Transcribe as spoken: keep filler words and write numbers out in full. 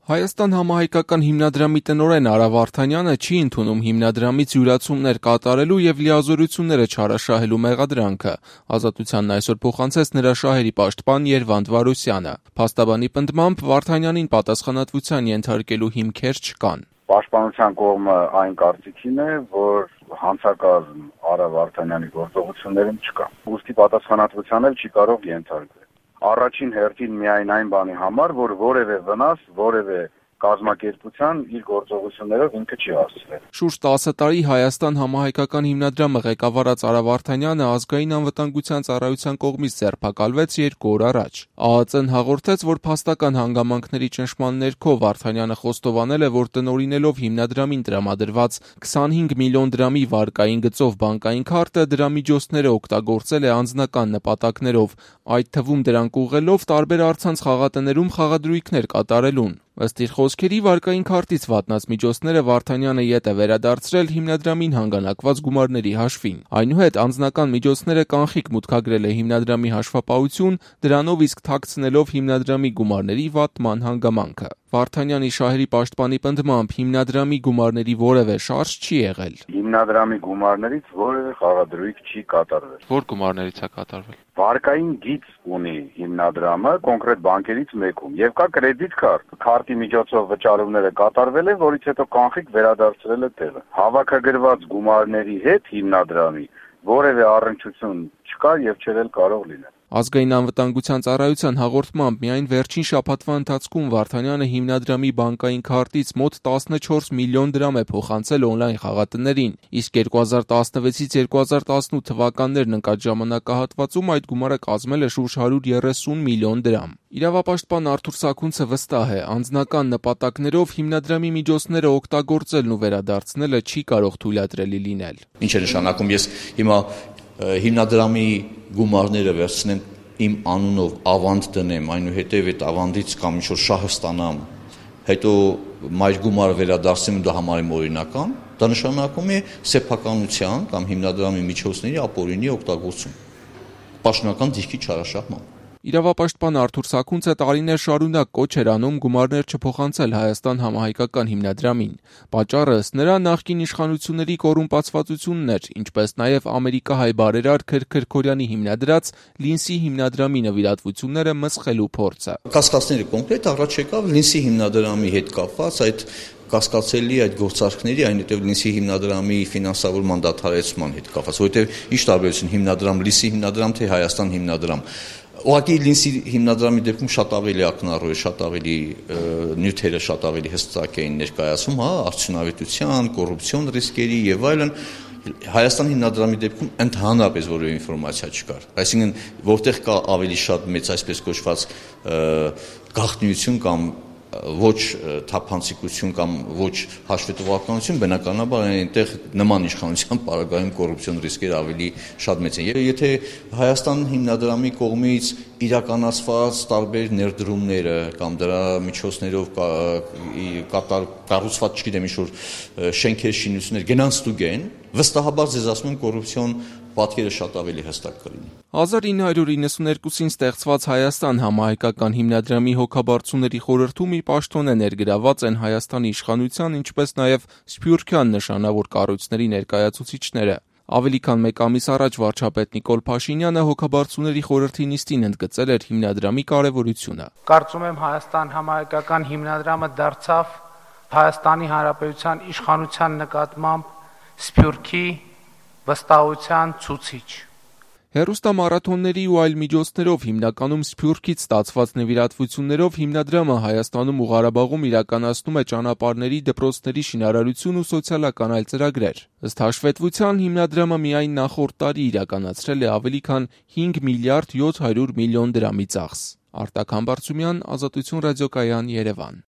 Հայաստան համահայկական հիմնադրամի տնօրեն Արա Վարդանյանը չի ընդունում հիմնադրամից յուրացումներ կատարելու եւ լիազորությունները չարաշահելու մեղադրանքը։ Ազատությանն այսօր փոխանցեց նրա շահերի պաշտպան Երվանդ Վարուսյանը։ Փաստաբանի պնդմամբ Վարդանյանին պատասխանատվության ենթարկելու հիմքեր չկան։ Պաշտպանության կողմը այն կարծիքին է, որ հանցակազմ Արա Վարդանյանի գործողություններում չկա։ Ուստի պատասխանատվության էլ չի կարող ենթարկվել։ Առաջին հերթին միայն այն բանի համար, որ որևէ վնաս, որևէ կազմակերպության իր գործողություններով ինքը չի հասցրել։ Շուրջ տասը տարի Հայաստան համահայկական հիմնադրամը ղեկավարած Արա Վարդանյանը ազգային անվտանգության ծառայության կողմից ձերբակալվեց երկու օր առաջ։ ԱԱԾ-ն հաղորդեց, որ փաստական հանգամանքների ճնշման ներքո Վարդանյանը խոստովանել է, որ տնօրինելով հիմնադրամին տրամադրված քսանհինգ միլիոն դրամի վարկային գծով բանկային քարտը դրա միջոցները օգտագործել է անձնական նպատակներով, այդ թվում դրանք ուղղելով տարբեր առցանց խաղատներում խաղադրույքներ կատարելուն։ Ըստ իր խոսքերի, վարկային քարտից վատնած միջոցները Վարդանյանը ետ է վերադարձրել հիմնադրամին հանգանակված գումարների հաշվին։ Այնուհետ անձնական միջոցները կանխիկ մուտքագրել է հիմնադրամի հաշվապահություն, դրանով իսկ թաքցնելով հիմնադրամի գումարների վատման հանգամանքը։ Վարդանյանի շահերի պաշտպանի պնդմամբ հիմնադրամի գումարների որևէ շարժ չի եղել։ Հիմնադրամի գումարներից որևէ խաղադրույք չի կատարվել։ Որ գումարներից է կատարվել։ Վարկային գիծ ունի հիմնադրամը կոնկրետ բանկերից մեկում եւ կա կրեդիտ քարտ։ Քարտի միջոցով վճարումները կատարվել են, որից հետո կանխիկ վերադարձրել է տեղը։ Հավաքագրված գումարների հետ հիմնադրամի որևէ առնչություն չկա եւ չէր էլ կարող լինել։ Ազգային անվտանգության ծառայության հաղորդմամբ միայն վերջին շաբաթվա ընթացքում Վարդանյանը հիմնադրամի բանկային քարտից մոտ տասնչորս միլիոն դրամ է փոխանցել օնլայն խաղատներին, իսկ երկու հազար տասնվեցից երկու հազար տասնութ թվականներն ընկած ժամանակահատվածում այդ գումարը կազմել է շուրջ հարյուր երեսուն միլիոն դրամ։ Իրավապաշտպան Արթուր Սաքունցը վստահ է, անձնական նպատակներով հիմնադրամի միջոցները օգտագործելն ու վերադարձնելը չի կարող թույլատրելի լինել։ Ինչ է նշանակում, ես հիմա հիմնադրամի գումարները վերցնեմ իմ անունով ավանդ դնեմ, այնուհետև այդ ավանդից կամ ինչ-որ շահը ստանամ, հետո մայր գումարը վերադարձնեմ, դա համարեմ օրինական, դա նշանակում է սեփականության կամ հիմնադրամի միջոցների ապօրինի օգտագործում, պաշտոնական դիրքի չարաշահման։ Իրավապաշտպան Արթուր Սաքունցը տարիներ շարունակ կոչ էր անում գումարներ չփոխանցել Հայաստան համահայկական հիմնադրամին։ Պատճառը ըստ նրա նախկին իշխանությունների կոռումպացվածությունն էր, ինչպես նաև ամերիկահայ բարերար Քրք Քրքորյանի հիմնադրած Լինսի հիմնադրամի նվիրատվությունները մսխելու փորձը։ Կասկածները կոնկրետ առաջ եկավ Լինսի հիմնադրամի հետ կապված այդ կասկածելի այդ գործարքների, այնուհետև Լինսի հիմնադրամի ֆինանսավորման դադարեցման հետ կապված, որովհետև ինչ տարբերություն հիմնադրամ Լինսի հիմնադրամ թե Հայաստան հիմնադրամ։ Ուղղակի Լինսի հիմնադրամի դեպքում շատ ավելի ակնառու է, շատ ավելի նյութերը շատ ավելի հստակ էին ներկայացում, հա, արդյունավետության, կոռուպցիոն ռիսկերի եւ այլն։ Հայաստան հիմնադրամի դեպքում ընդհանրապես որևէ ինֆորմացիա չկար։ Այսինքն, որտեղ կա ավելի շատ մեծ այսպես կոչված գաղտնիություն կամ ոչ թափանցիկություն կամ ոչ հաշվետվականություն, բնականաբար այնտեղ նման իշխանության պարագայում կոռուպցիոն ռիսկերը ավելի շատ մեծ են։ Եթե Հայաստան հիմնադրամի կողմից իրականացված տարբեր ներդրումները կամ դրա միջոցներով կատար կառուցված, չգիտեմ, ինչ-որ շենքեր, շինություններ գնան ստուգեն, վստահաբար ձեզ ասում եմ կոռուպցիոն պատկերը շատ ավելի հստակ կլինի։ հազար ինը հարյուր իննսուներկուսին ստեղծված Հայաստան համահայկական հիմնադրամի հոգաբարձուների խորհրդում իր պաշտոնը ներգրաված են Հայաստանի իշխանության, ինչպես նաև սփյուռքյան նշանավոր կառույցների ներկայացուցիչները։ Ավելի քան մեկ ամիս առաջ վարչապետ Նիկոլ Փաշինյանը հոգաբարձուների խորհրդի նիստին ընդգծել էր հիմնադրամի կարևորությունը։ Կարծում եմ Հայաստան համահայկական հիմնադրամը դարձավ Հայաստանի Հանրապետության իշխանության նկատմամբ սփյուռքի վստահության ցուցիչ։ Հեռուստամարաթոնների ու այլ միջոցներով հիմնականում սփյուռքից ստացված նվիրատվություններով հիմնադրամը Հայաստանում ու Ղարաբաղում իրականացնում է ճանապարհների, դպրոցների շինարարություն ու սոցիալական այլ ծրագրեր։ Ըստ հաշվետվության հիմնադրամը միայն նախորդ տարի իրականացրել է ավելի քան հինգ միլիարդ յոթ հարյուր միլիոն դրամի ծախս։ Արտակ Համբարձումյան, Ազատություն ռադիոկայան, Երևան։